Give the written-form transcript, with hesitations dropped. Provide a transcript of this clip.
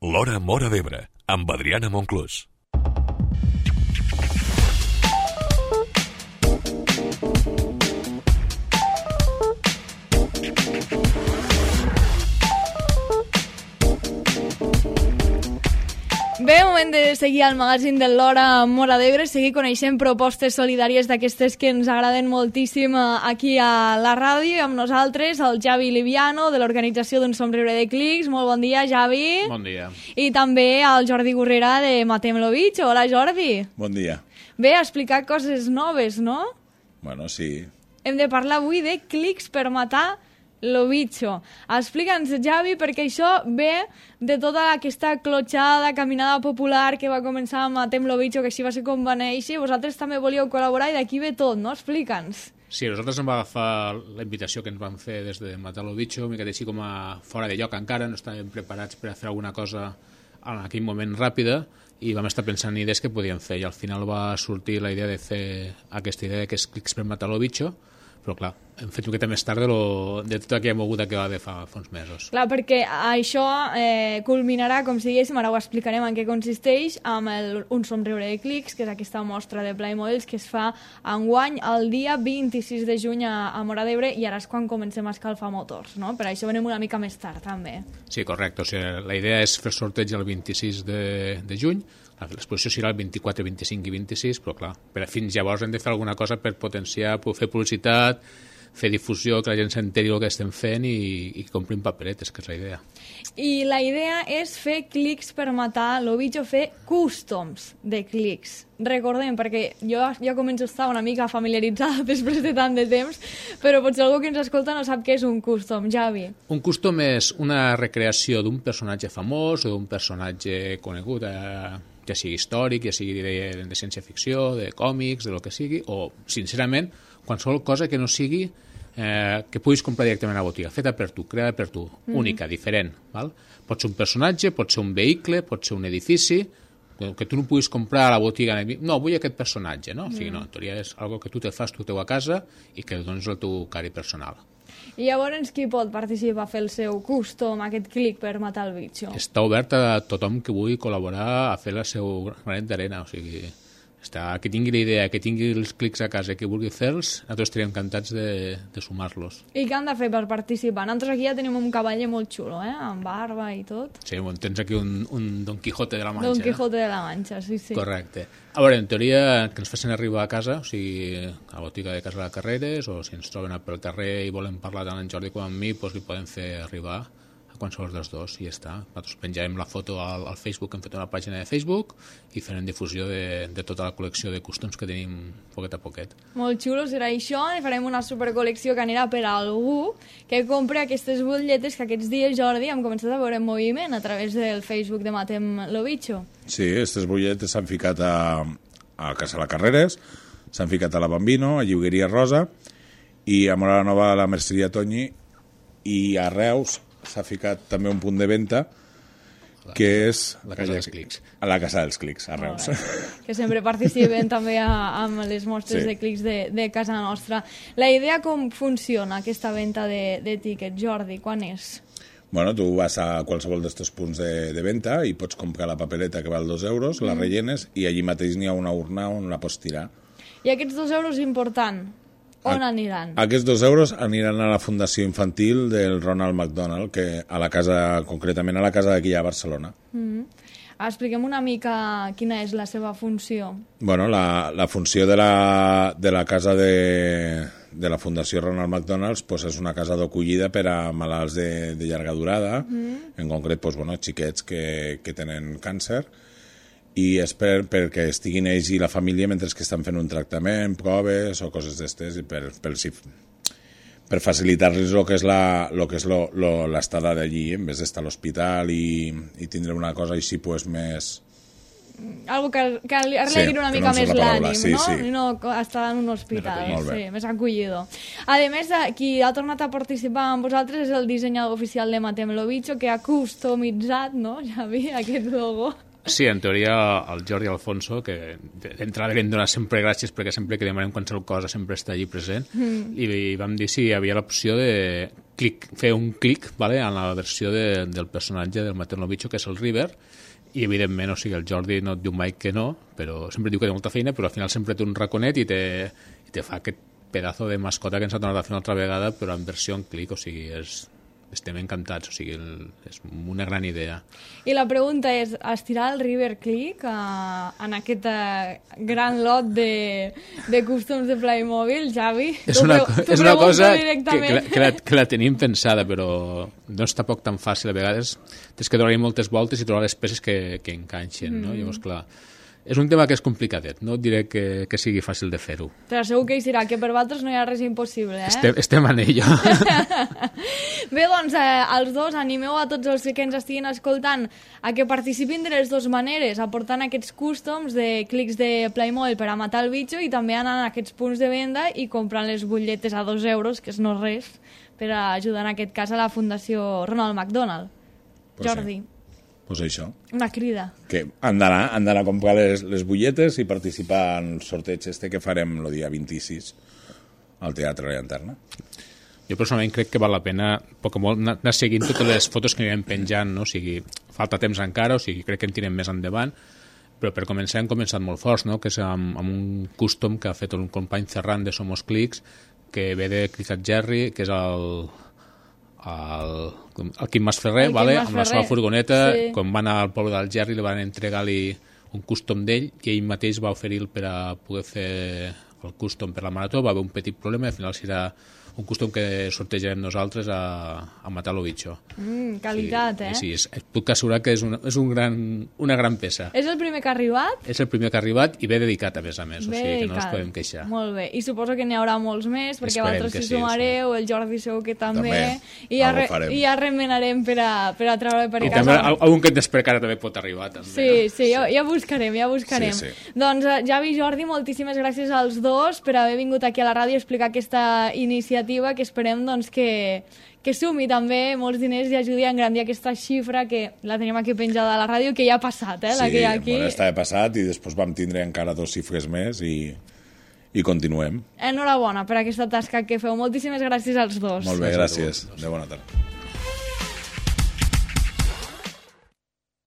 L'Hora Móra d'Ebre, amb Adriana Monclús. Bé, moment de seguir al magazín de l'Hora Móra d'Ebre, seguir coneixent propostes solidàries d'aquestes que ens agraden moltíssim aquí a la ràdio. Amb nosaltres el Javi Liviano, de l'organització d'un somriure de clics. Molt bon dia, Javi. Bon dia. I també el Jordi Gurrera, de Matem lo Bicho. Hola, Jordi. Bon dia. Bé, ha explicat coses noves, no? Bueno, sí. Hem de parlar avui de clics per matar lo bicho. Explica'ns, Javi, perquè això ve de tota aquesta clotxada, caminada popular que va començar amb Matem lo Bicho, que així va ser com va néixer. Vosaltres també volíeu col·laborar i d'aquí ve tot, no? Explica'ns. Sí, nosaltres ens va agafar la invitació que ens van fer des de Matar lo Bicho, una mica així com a fora de lloc encara, no estàvem preparats per a fer alguna cosa en aquell moment ràpida i vam estar pensant en idees que podíem fer i al final va sortir la idea de fer aquesta idea que és clics per Matar lo Bicho, però clar, hem fet una miqueta més tard de tota aquella moguda que va haver fa uns mesos. Clar, perquè això culminarà, com si diguéssim, ara ho explicarem en què consisteix, amb un somriure de clics, que és aquesta mostra de Playmobiles que es fa enguany el dia 26 de juny a Móra d'Ebre, i ara és quan comencem a escalfar motors, no? Per això venim una mica més tard, també. Sí, correcte. O sigui, la idea és fer sorteig el 26 de juny. L'exposició serà el 24, 25 i 26, però clar, fins llavors hem de fer alguna cosa per potenciar, per fer publicitat, fer difusió, que la gent s'enteri el que estem fent i comprin paperetes, que és la idea. I la idea és fer clics per matar lo bicho, fer customs de clics. Recordem, perquè jo ja començo a estar una mica familiaritzada després de tant de temps, però potser algú que ens escolta no sap què és un custom, Javi. Un custom és una recreació d'un personatge famós o d'un personatge conegut, ja sigui històric, ja sigui de ciència-ficció, de còmics, de lo que sigui, o, sincerament, qualsevol cosa que no sigui que puguis comprar directament a la botiga, feta per tu, creada per tu, única, diferent. Val? Pot ser un personatge, pot ser un vehicle, pot ser un edifici, que tu no puguis comprar a la botiga. No, vull aquest personatge, no? O sigui, no, en teoria és algo que tu te fas tu teu a casa i que dones el teu cari personal. I llavors qui pot participar a fer el seu custom, aquest clic per matar el bitxo? Està obert a tothom que vulgui col·laborar a fer el seu granet d'arena, o sigui, que tingui la idea, que tingui els clics a casa, que vulgui fer-los, nosaltres estaríem encantats de sumar-los. I què han de fer per participar? Nosaltres aquí ja tenim un cavaller molt xulo, amb barba i tot. Sí, bueno, tens aquí un Don Quijote de la Mancha. Don Quijote de la Mancha, sí, sí. Correcte. A veure, en teoria, que ens facin arribar a casa, o sigui, a la botiga de Casa de Carreres, o si ens troben pel carrer i volen parlar tant en Jordi com amb mi, doncs li poden fer arribar a qualsevol dels dos i ja està. Nosaltres penjarem la foto al Facebook, hem fet una pàgina de Facebook i farem difusió de tota la col·lecció de customs que tenim poquet a poquet. Molt xulo serà això, i farem una supercol·lecció que anirà per a algú que compri aquestes butlletes que aquests dies, Jordi, hem començat a veure en moviment a través del Facebook de Matem lo Bicho. Sí, aquestes butlletes s'han ficat a Casa de Carreres, s'han ficat a la Bambino, a Lliugueria Rosa, i a Móra la Nova a la Merceria Toñi, i a Reus s'ha ficat també un punt de venda que és la Casa dels Clics. A la Casa dels Clics, a Reus. Que sempre participen també amb les mostres de clics de casa nostra. La idea com funciona, aquesta venda de tíquets, Jordi, quan és? Bueno, tu vas a qualsevol d'aquests punts de venda i pots comprar la papereta que val 2 euros, la rellenes i allí mateix n'hi ha una urna on la pots tirar. I aquests 2 euros important, on aniran? Aquests 2 euros aniran a la Fundació Infantil del Ronald McDonald, que a la casa, concretament a la casa d'aquí a Barcelona. Expliquem una mica quina és la seva funció. Bueno, la funció de la casa de la Fundació Ronald McDonald pues és una casa d'acollida per a malalts de llarga durada, en concret pues, bueno, xiquets que tenen càncer, i és perquè estiguin ells i la família mentre que estan fent un tractament, proves o coses d'estes, i per facilitar-los el que és l'estada d'allí, en vez d'estar a l'hospital i tindre una cosa així pues, més... Algo que arregli una mica més l'ànim, sí, no? Sí. No estar en un hospital, més acollidor. A més, qui ha tornat a participar amb vosaltres és el dissenyador oficial de Matem lo Bicho, que ha customitzat, no, Javi, aquest logo. Sí, en teoria el Jordi Alfonso, que d'entrada li hem donat sempre gràcies perquè sempre que demanem qualsevol cosa sempre està allí present, i vam dir si hi havia l'opció de fer un clic, vale, en la versió del personatge del Materno Bicho, que és el River, i evidentment, o sigui, el Jordi no et diu mai que no, però sempre diu que té molta feina, però al final sempre té un raconet i te fa aquest pedazo de mascota que ens ha tornat a fer una altra vegada, però en versió en clic, o sigui, estem encantats, o sigui, és una gran idea. I la pregunta és, estirar el River Click en aquest gran lot de cústoms de Playmobil, Xavi? És una cosa que la tenim pensada, però no és tampoc tan fàcil. A vegades tens que donar-hi moltes voltes i trobar les peces que enganxen, no? Llavors, clar, és un tema que és complicadet, no et diré que sigui fàcil de fer-ho. Però segur que hi serà, que per vosaltres no hi ha res impossible, Estem en ello. Bé, doncs, els dos, animeu a tots els que ens estiguin escoltant a que participin de les dues maneres, aportant aquests cústoms de clics de Playmobil per a matar el bitxo i també anant a aquests punts de venda i comprant les butlletes a 2 euros, que és no res, per ajudar en aquest cas a la Fundació Ronald McDonald. Pues Jordi. Sí. Pues això. Una crida. Que han d'anar a comprar les butlletes i participar en el sorteig que farem el dia 26 al Teatre La Llanterna. Jo personalment crec que val la pena poc o molt anar seguint totes les fotos que anirem penjant, no? O sigui, falta temps encara, o sigui, crec que en tirem més endavant, però per començar hem començat molt forts, no? Que és amb un custom que ha fet un company Ferran de Somos Clics, que ve de Clicat Jerry, que és el Quim Masferrer, vale? Amb la seva furgoneta, sí. Quan van al poble del Jerry li van entregar-li un custom d'ell i ell mateix va oferir per a poder fer el custom per la marató, va haver un petit problema i al final serà un custom que sortejarem nosaltres a matar lo bitxo. Qualitat, sí, puc assegurar que és una gran peça. És el primer que ha arribat? És el primer que ha arribat i bé dedicat, a més, o sigui que no ens podem queixar. Molt bé, i suposo que n'hi haurà molts més, perquè vosaltres s'hi sumareu, el Jordi segur que també. I ja remenarem per a treure per casa. I també algun que et despercarà també pot arribar. També, sí, ja buscarem. Sí. Doncs Javi i Jordi, moltíssimes gràcies als dos per haver vingut aquí a la ràdio a explicar aquesta iniciativa que esperem doncs, que sumi també molts diners i ajudi a engrandir aquesta xifra que la tenim aquí penjada a la ràdio, que ja ha passat, la que hi ha aquí. Sí, estava passat i després vam tindre encara 2 xifres més i continuem. Enhorabona per aquesta tasca que feu. Moltíssimes gràcies als dos. Molt bé, gràcies. De bona tarda.